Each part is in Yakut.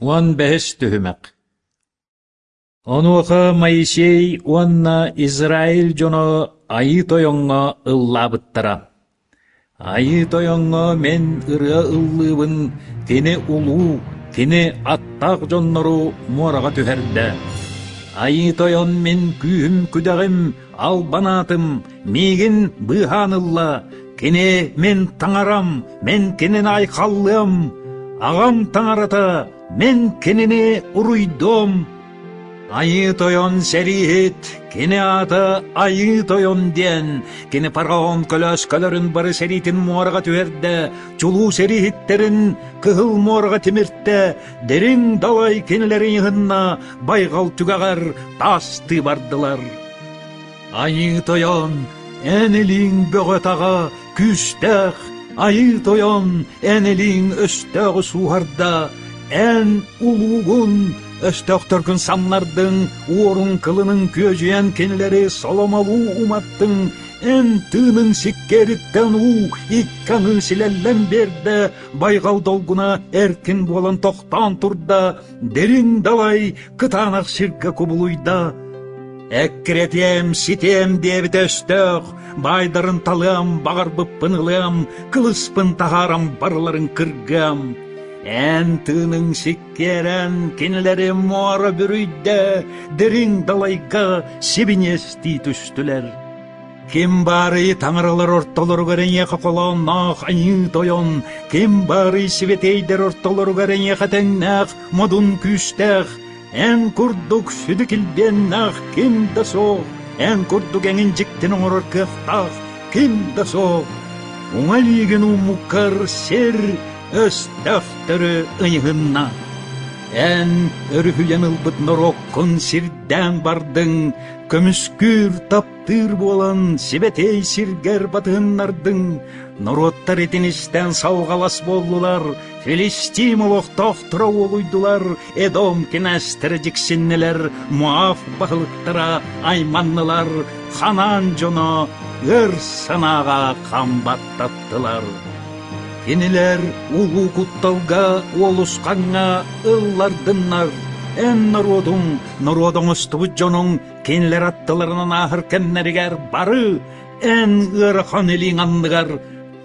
15 түһүмэх Онуоха Моисей уонна Израиль дьоно Айыы Тойоҥҥо ыллаабыттара: «Айыы Тойоҥҥо мин ырыа ыллыыбын, кини улуу, кини аттаах дьоннору муораҕа түһэрдэ. Айыы Тойон мин күүһүм-күдэҕим, албан аатым, миигин быыһаан ылла, кини мин таҥарам, мин кинини айхаллыам, аҕам таҥарата, Мин кинини уруйдуом, Айыы Тойон сэрииһит, кини аата Айыы Тойон диэн, кини фараон көлөөскөлөрүн бары сэриитин муораҕа түһэрдэ, чулуу сэрииһиттэрин Кыһыл муораҕа тимиртэ, дириҥ далай кинилэри ыһынна, байҕал түгэҕэр таастыы бардылар. Айыы Тойон, эн илииҥ бөҕө-таҕа, күүстээх, Айыы Тойон, эн илииҥ өстөөҕү сууһарда, эн улуугун, өстөөхтөргүн самнардыҥ, уоруҥ кылыныҥ күөдьүйэн кинилэри соломолуу уматтыҥ, эн тыыныҥ сиккиэриттэн уу икки аҥыы силэллэн биэрдэ, байҕал долгуна эркин буолан тохтоон турда, дириҥ далай кытаанах сиргэ кубулуйда. Эккирэтиэм, ситиэм диэбитэ өстөөх, баайдарын талыам, баҕарбыппын ылыам, кылыспын таһааран барыларын кыргыам. Эн тыыныҥ сиккиэрэн кинилэри муора бүрүйдэ, дириҥ далайга сибиниэстии түстүлэр. Ким баарый таҥаралар ортолоругар эйиэхэ холоонноох айыы тойон, ким баарый сибэтиэйдэр ортолоругар эйиэхэ тэҥнээх модун күүстээх, эн курдук сүдү килбиэннээх ким да суох, эн курдук эҥин дьиктини оҥорор кыахтаах ким да суох. Уҥа илиигин ууммуккар сир өстөөхтөрү ыйыһынна. Эн өрүһүйэн ылбыт норуоккун сирдээн бардыҥ, көмүскүүр таптыыр буолан сибэтиэй сиргэр батыһыннардыҥ, норуоттар итинистэн салҕалас буоллулар, Филистим олохтоохторо уолуйдулар, Эдом кинээстэрэ дьиксиннилэр, Моав баһылыктара айманнылар, Ханаан дьоно өр санааҕа хам баттаттылар. Кинилэр улуу кутталга, уолусхаҥҥа ыллардыннар, эн норуотуҥ, норуот оҥостубут дьонуҥ кинилэр аттыларынан ааһар кэмнэригэр бары эн ыарахан илииҥ анныгар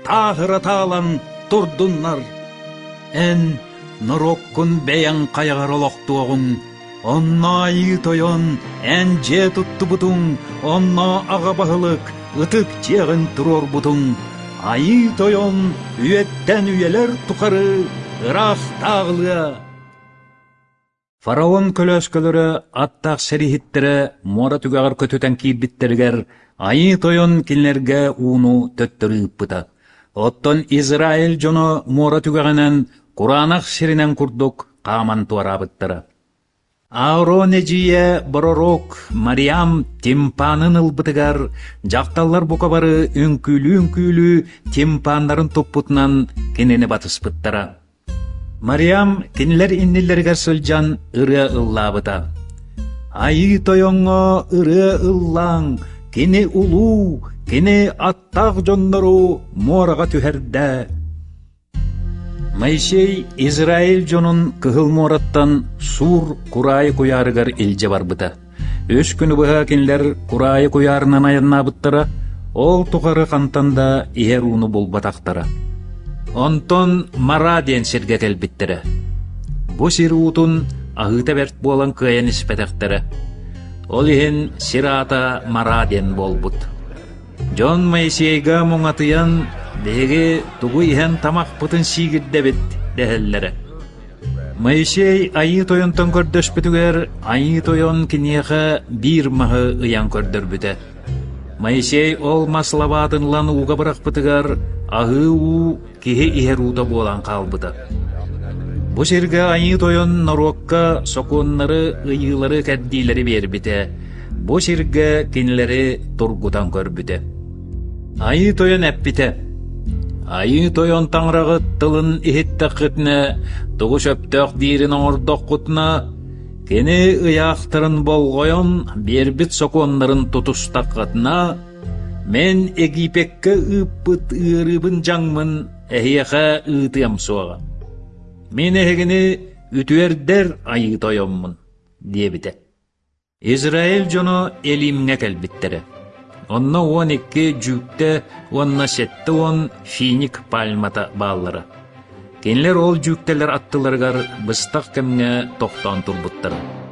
тааһыра таалан турдуннар. Эн норуоккун бэйэҥ хайаҕар олохтуоҕуҥ, онно Айыы Тойон эн дьиэ туттубутуҥ, онно аҕа баһылык ытык дьиэҕин туруорбутуҥ. Айыы Тойон үйэттэн үйэлэр тухары ыраахтааҕылыа. Фараон көлөөскөлөрө аттаах сэрииһиттэрэ муора түгэҕэр көтүтэн киирбиттэригэр Айыы Тойон кинилэргэ ууну төттөрү ыыппыта. Оттон Израиль дьоно муора түгэҕинэн кураанах сиринэн курдук хааман туораабыттара. Аарон эдьиийэ пророк Мариам тимпанын ылбытыгар дьахталлар бука бары үҥкүүлүү-үҥкүүлүү тимпаннарын туппутунан кинини батыспыттара. Мариам кинилэр иннилэригэр сылдьан ырыа ыллаабыта: «Айыы Тойоҥҥо ырыа ыллааҥ, кини улуу, кини аттаах дьоннору муораҕа түһэрдэ». Моисей Израиль дьонун Кыһыл муораттан Сур кураайы куйаарыгар илдьэ барбыта. Үс күнү быһа кинилэр кураайы куйаарынан айаннаабыттара, ол тухары хантан да иһэр ууну булбатахтара. Онтон Мара диэн сиргэ кэлбиттэрэ. Бу сир уутун аһыыта бэрт буолан кыайан испэтэхтэрэ. Ол иһин сир аата Мара диэн буолбут. Дьон Моисейга муҥатыйан, биһиги тугу иһэн тамахпытын сиигирдэбит дэһэллэрэ. Моисей Айыы Тойонтон көрдөспүтүгэр Айыы Тойон киниэхэ биир маһы ыйан көрдөрбүтэ. Моисей ол мас лабаатын ылан ууга бырахпытыгар аһыы уу киһи иһэр уута буолан хаалбыта. Бу сиргэ Айыы Тойон норуокка сокуоннары, ыйыылары, кэрдиилэри биэрбитэ, бу сиргэ кинилэри тургутан көрбүтэ. Айыы Тойон эппитэ: «Айыы Тойон Таҥараҕыт тылын иһиттэххитинэ, тугу сөптөөх диирин оҥордоххутуна, кини ыйаахтарын болҕойон биэрбит сокуоннарын тутустаххытына, мин Египеккэ ыыппыт ыарыыбын дьаҥмын эһиэхэ ыытыам суоҕа. Мин эһигини үтүөрдэр Айыы Тойоммун, диэбитэ. Израиль дьоно Элимҥэ кэлбиттэрэ. Онно 12 дьүүктэ уонна 70 финик пальмата бааллара. Кинилэр ол дьүүктэлэр аттыларыгар быстах кэмҥэ тохтоон турбуттара.